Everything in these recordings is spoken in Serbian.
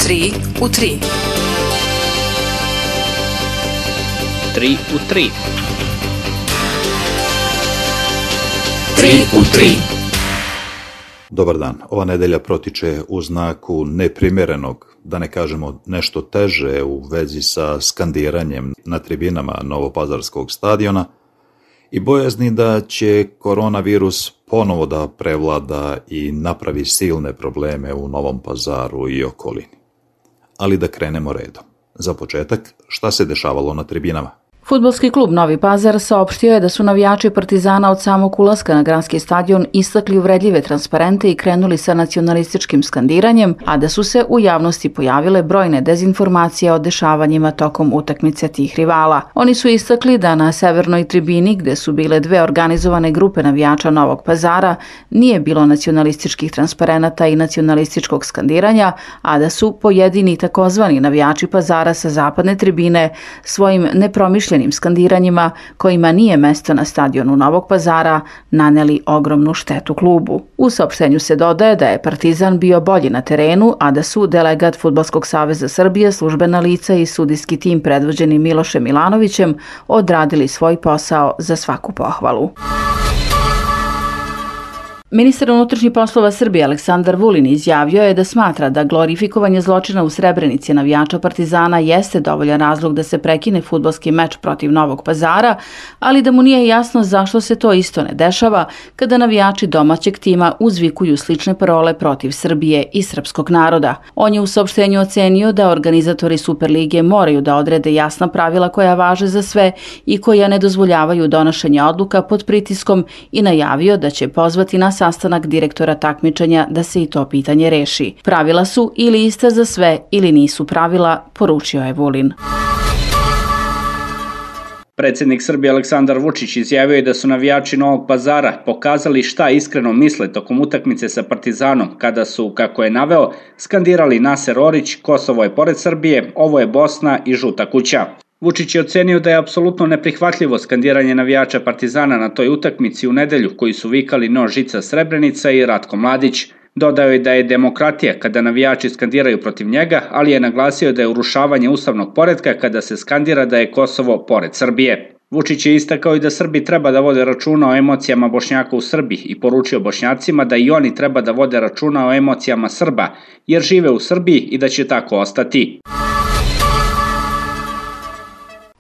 3 u 3. 3 u 3. 3 u 3. Dobar dan. Ova nedelja protiče u znaku neprimjerenog, da ne kažemo nešto teže u vezi sa skandiranjem na tribinama Novopazarskog stadiona i bojazni da će koronavirus ponovo da prevlada i napravi silne probleme u Novom Pazaru i okolini. Ali da krenemo redom. Za početak, šta se dešavalo na tribinama? Fudbalski klub Novi Pazar saopštio je da su navijači Partizana od samog ulaska na granski stadion istakli uvredljive transparente i krenuli sa nacionalističkim skandiranjem, a da su se u javnosti pojavile brojne dezinformacije o dešavanjima tokom utakmice tih rivala. Oni su istakli da na severnoj tribini, gde su bile dve organizovane grupe navijača Novog Pazara, nije bilo nacionalističkih transparenata i nacionalističkog skandiranja, a da su pojedini takozvani navijači Pazara sa zapadne tribine svojim nepromišljenim skandiranjima, kojima nije mesto na stadionu Novog Pazara, naneli ogromnu štetu klubu. U saopštenju se dodaje da je Partizan bio bolji na terenu, a da su delegat Fudbalskog saveza Srbije, službena lica i sudijski tim predvođeni Milošem Milanovićem odradili svoj posao za svaku pohvalu. Ministar unutrašnjih poslova Srbije Aleksandar Vulin izjavio je da smatra da glorifikovanje zločina u Srebrenici navijača Partizana jeste dovoljan razlog da se prekine fudbalski meč protiv Novog Pazara, ali da mu nije jasno zašto se to isto ne dešava kada navijači domaćeg tima uzvikuju slične parole protiv Srbije i srpskog naroda. On je u saopštenju ocenio da organizatori Superlige moraju da odrede jasna pravila koja važe za sve i koja ne dozvoljavaju donošenje odluka pod pritiskom i najavio da će pozvati na sastanak direktora takmičenja da se i to pitanje reši. Pravila su ili ista za sve ili nisu pravila, poručio je Vulin. Predsjednik Srbije Aleksandar Vučić izjavio je da su navijači Novog Pazara pokazali šta iskreno misle tokom utakmice sa Partizanom kada su, kako je naveo, skandirali Naser Orić, Kosovo je pored Srbije, ovo je Bosna i žuta kuća. Vučić je ocenio da je apsolutno neprihvatljivo skandiranje navijača Partizana na toj utakmici u nedelju koji su vikali No žica Srebrenica i Ratko Mladić. Dodao je da je demokratija kada navijači skandiraju protiv njega, ali je naglasio da je urušavanje ustavnog poretka kada se skandira da je Kosovo pored Srbije. Vučić je istakao i da Srbi treba da vode računa o emocijama Bošnjaka u Srbiji i poručio Bošnjacima da i oni treba da vode računa o emocijama Srba, jer žive u Srbiji i da će tako ostati.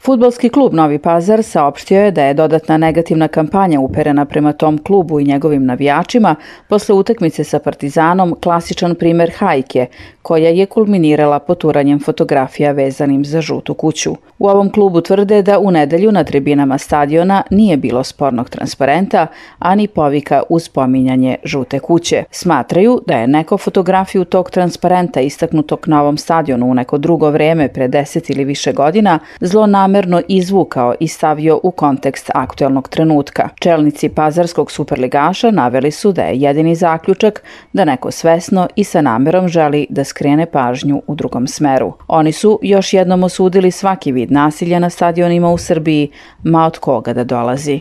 Fudbalski klub Novi Pazar saopštio je da je dodatna negativna kampanja uperena prema tom klubu i njegovim navijačima posle utakmice sa Partizanom klasičan primer hajke, koja je kulminirala poturanjem fotografija vezanim za žutu kuću. U ovom klubu tvrde da u nedelju na tribinama stadiona nije bilo spornog transparenta, ani povika uz pominjanje žute kuće. Smatraju da je neko fotografiju tog transparenta istaknutog na ovom stadionu u neko drugo vreme pre 10 ili više godina zlonamerno izvukao i stavio u kontekst aktuelnog trenutka. Čelnici pazarskog superligaša naveli su da je jedini zaključak da neko svesno i sa namerom želi da skrene pažnju u drugom smeru. Oni su još jednom osudili svaki vid nasilja na stadionima u Srbiji, ma od koga da dolazi.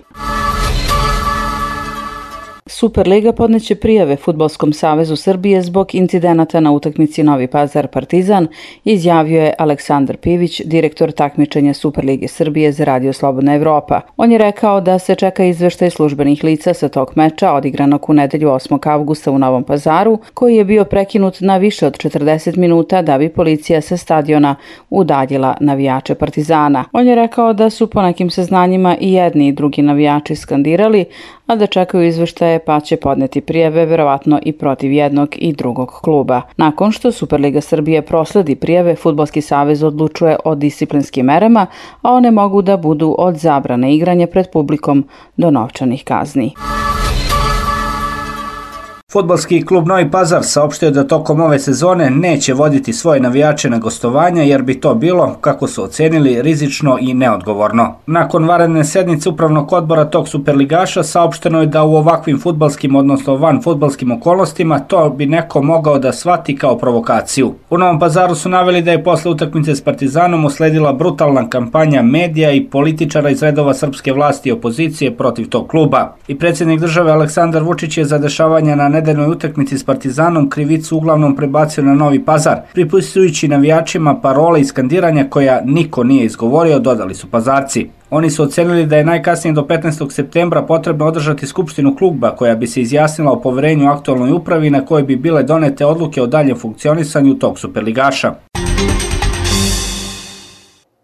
Superliga podneće prijave Fudbalskom savezu Srbije zbog incidenata na utakmici Novi Pazar Partizan, izjavio je Aleksandar Pivić, direktor takmičenja Superlige Srbije za Radio Slobodna Evropa. On je rekao da se čeka izveštaj službenih lica sa tog meča odigranog u nedelju 8. avgusta u Novom Pazaru, koji je bio prekinut na više od 40 minuta da bi policija sa stadiona udaljila navijače Partizana. On je rekao da su po nekim saznanjima i jedni i drugi navijači skandirali, a da čekaju izveštaje pa će podneti prijave verovatno i protiv jednog i drugog kluba. Nakon što Superliga Srbije prosledi prijave, Fudbalski savez odlučuje o disciplinskim merama, a one mogu da budu od zabrane igranja pred publikom do novčanih kazni. Fudbalski klub Novi Pazar saopštio da tokom ove sezone neće voditi svoje navijače na gostovanja jer bi to bilo, kako su ocenili, rizično i neodgovorno. Nakon vanredne sednice upravnog odbora tog superligaša saopšteno je da u ovakvim fudbalskim, odnosno van fudbalskim okolnostima to bi neko mogao da shvati kao provokaciju. U Novom Pazaru su naveli da je posle utakmice s Partizanom usledila brutalna kampanja medija i političara iz redova srpske vlasti i opozicije protiv tog kluba. I predsjednik države Aleksandar Vučić je za dešavanja na nedeljnoj utakmici s Partizanom krivicu uglavnom prebacio na Novi Pazar, pripisujući navijačima parole i skandiranja koja niko nije izgovorio, dodali su Pazarci. Oni su ocenili da je najkasnije do 15. septembra potrebno održati skupštinu kluba koja bi se izjasnila o poverenju aktualnoj upravi na kojoj bi bile donete odluke o daljem funkcionisanju tog superligaša.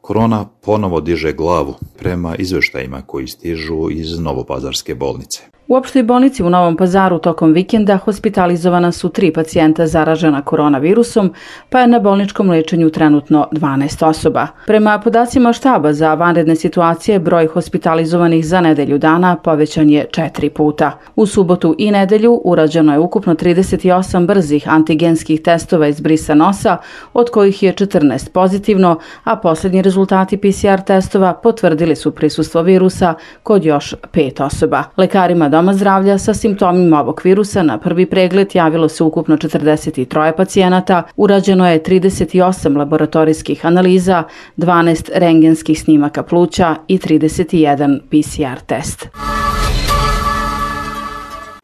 Korona ponovo diže glavu prema izveštajima koji stižu iz Novopazarske bolnice. U opštoj bolnici u Novom Pazaru tokom vikenda hospitalizovana su 3 pacijenta zaražena koronavirusom, pa je na bolničkom lečenju trenutno 12 osoba. Prema podacima štaba za vanredne situacije, broj hospitalizovanih za nedelju dana povećan je 4 puta. U subotu i nedelju urađeno je ukupno 38 brzih antigenskih testova iz brisa nosa, od kojih je 14 pozitivno, a posljednji rezultati PCR testova potvrdili su prisustvo virusa kod još 5 osoba. Lekarima Doma zdravlja sa simptomima ovog virusa na prvi pregled javilo se ukupno 43 pacijenata, urađeno je 38 laboratorijskih analiza, 12 rentgenskih snimaka pluća i 31 PCR test.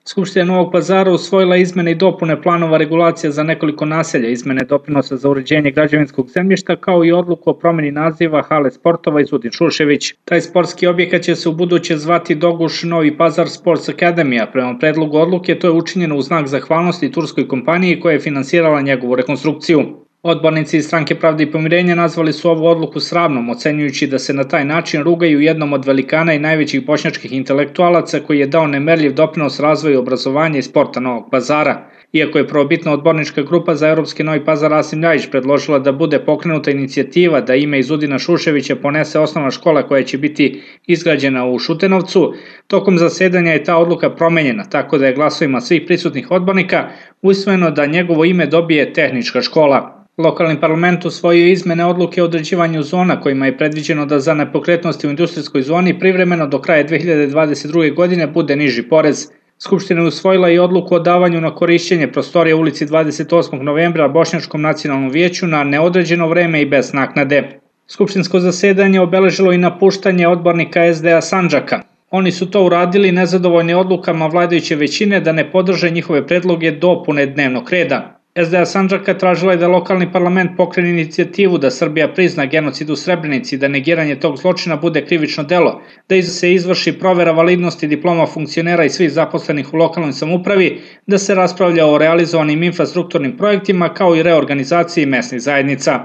Skupština Novog Pazara usvojila izmene i dopune planova regulacija za nekoliko naselja, izmene doprinosa za uređenje građevinskog zemljišta, kao i odluku o promjeni naziva hale sportova Izudin Šušević. Taj sportski objekat će se u buduće zvati Doguš Novi Pazar Sports Academy, a prema predlogu odluke to je učinjeno u znak zahvalnosti turskoj kompaniji koja je finansirala njegovu rekonstrukciju. Odbornici iz Stranke pravde i pomirenja nazvali su ovu odluku sramnom, ocenjujući da se na taj način rugaju jednom od velikana i najvećih bošnjačkih intelektualaca koji je dao nemerljiv doprinos razvoju obrazovanja i sporta Novog Pazara. Iako je prvobitna odbornička grupa za Europski Novi Pazar Rasim Ljajić predložila da bude pokrenuta inicijativa da ime Izudina Šuševića ponese osnovna škola koja će biti izgrađena u Šutenovcu, tokom zasedanja je ta odluka promenjena, tako da je glasovima svih prisutnih odbornika usvojeno da njegovo ime dobije tehnička škola. Lokalni parlament usvojio izmene odluke o određivanju zona kojima je predviđeno da za nepokretnosti u industrijskoj zoni privremeno do kraja 2022. godine bude niži porez. Skupština je usvojila i odluku o davanju na korišćenje prostorija u ulici 28. novembra Bošnjačkom nacionalnom vijeću na neodređeno vreme i bez naknade. Skupštinsko zasedanje obeležilo i napuštanje odbornika SDA Sandžaka. Oni su to uradili nezadovoljni odlukama vladajuće većine da ne podrže njihove predloge dopune dnevnog reda. SDA Sandžaka tražila je da lokalni parlament pokrene inicijativu da Srbija prizna genocid u Srebrenici, da negiranje tog zločina bude krivično delo, da se izvrši provera validnosti diploma funkcionera i svih zaposlenih u lokalnoj samoupravi, da se raspravlja o realizovanim infrastrukturnim projektima kao i reorganizaciji mesnih zajednica.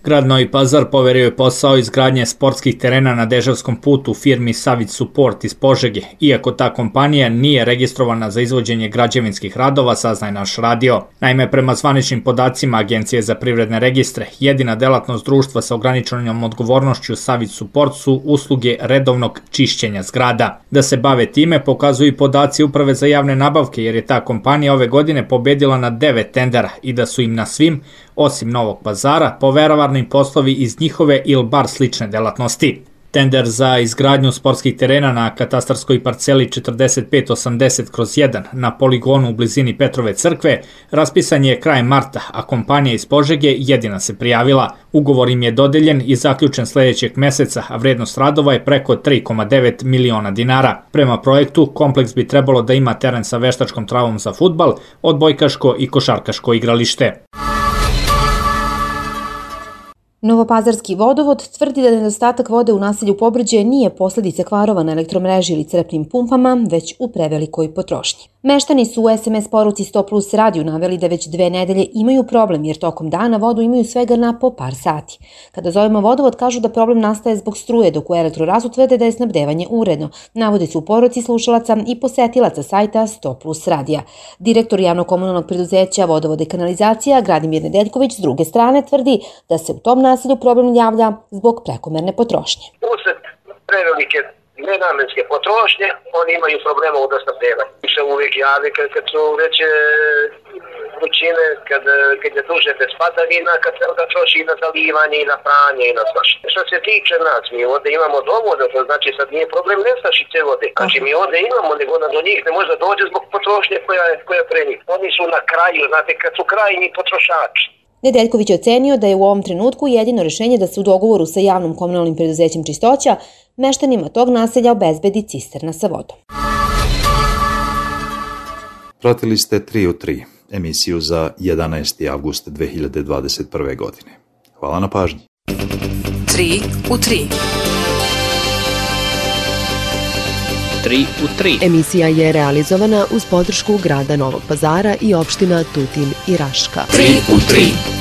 Grad Novi Pazar poverio je posao izgradnje sportskih terena na Deževskom putu firmi Savić Support iz Požege, iako ta kompanija nije registrovana za izvođenje građevinskih radova, saznaje naš radio. Naime, prema zvaničnim podacima Agencije za privredne registre, jedina delatnost društva sa ograničenom odgovornošću Savić Support su usluge redovnog čišćenja zgrada. Da se bave time pokazuju i podaci Uprave za javne nabavke, jer je ta kompanija ove godine pobedila na 9 tendera i da su im na svim, osim Novog Pazara, poverovarni poslovi iz njihove ili bar slične delatnosti. Tender za izgradnju sportskih terena na katastarskoj parceli 4580/1 na poligonu u blizini Petrove crkve raspisan je krajem marta, a kompanija iz Požege jedina se prijavila. Ugovor im je dodeljen i zaključen sljedećeg meseca, a vrednost radova je preko 3,9 miliona dinara. Prema projektu, kompleks bi trebalo da ima teren sa veštačkom travom za fudbal, odbojkaško i košarkaško igralište. Novopazarski vodovod tvrdi da nedostatak vode u naselju Pobrđe nije posljedica kvarova na elektromreži ili crpnim pumpama, već u prevelikoj potrošnji. Meštani su u SMS poruci 100 plus radiju naveli da već 2 nedelje imaju problem jer tokom dana vodu imaju svega na po par sati. Kada zovemo vodovod kažu da problem nastaje zbog struje, dok u Elektrorazu tvrde da je snabdevanje uredno. Navode se u poruci slušalaca i posetilaca sajta 100 plus radija. Direktor javno-komunalnog preduzeća Vodovode i kanalizacija Gradimir Nedeljković s druge strane tvrdi da se u tom naselju problem javlja zbog prekomerne potrošnje. Usred prevelike nenamenske potrošnje, oni imaju problema u snabdevanju. Se uvijek jave kad su veće vrućine, kad je duže bez padavina, kad se onda troši i na zalivanje, i na pranje, i na svašta. Što se tiče nas, mi ovdje imamo dovoljno, to znači sad nije problem nestašice vode. Znači mi ovdje imamo, nego ona do njih ne može dođe zbog potrošnje koja pre njih. Oni su na kraju, znate, kad su krajnji potrošači. Nedeljković je ocenio da je u ovom trenutku jedino rješenje da se u dogovoru sa javnom komunalnim preduzećem Čistoća meštanima tog naselja obezbedi cisterna sa vodom. Pratili ste 3 u 3, emisiju za 11. avgust 2021. godine. Hvala na pažnji. 3 u 3. 3 u 3. Emisija je realizovana uz podršku grada Novog Pazara i opština Tutin i Raška. 3 u 3.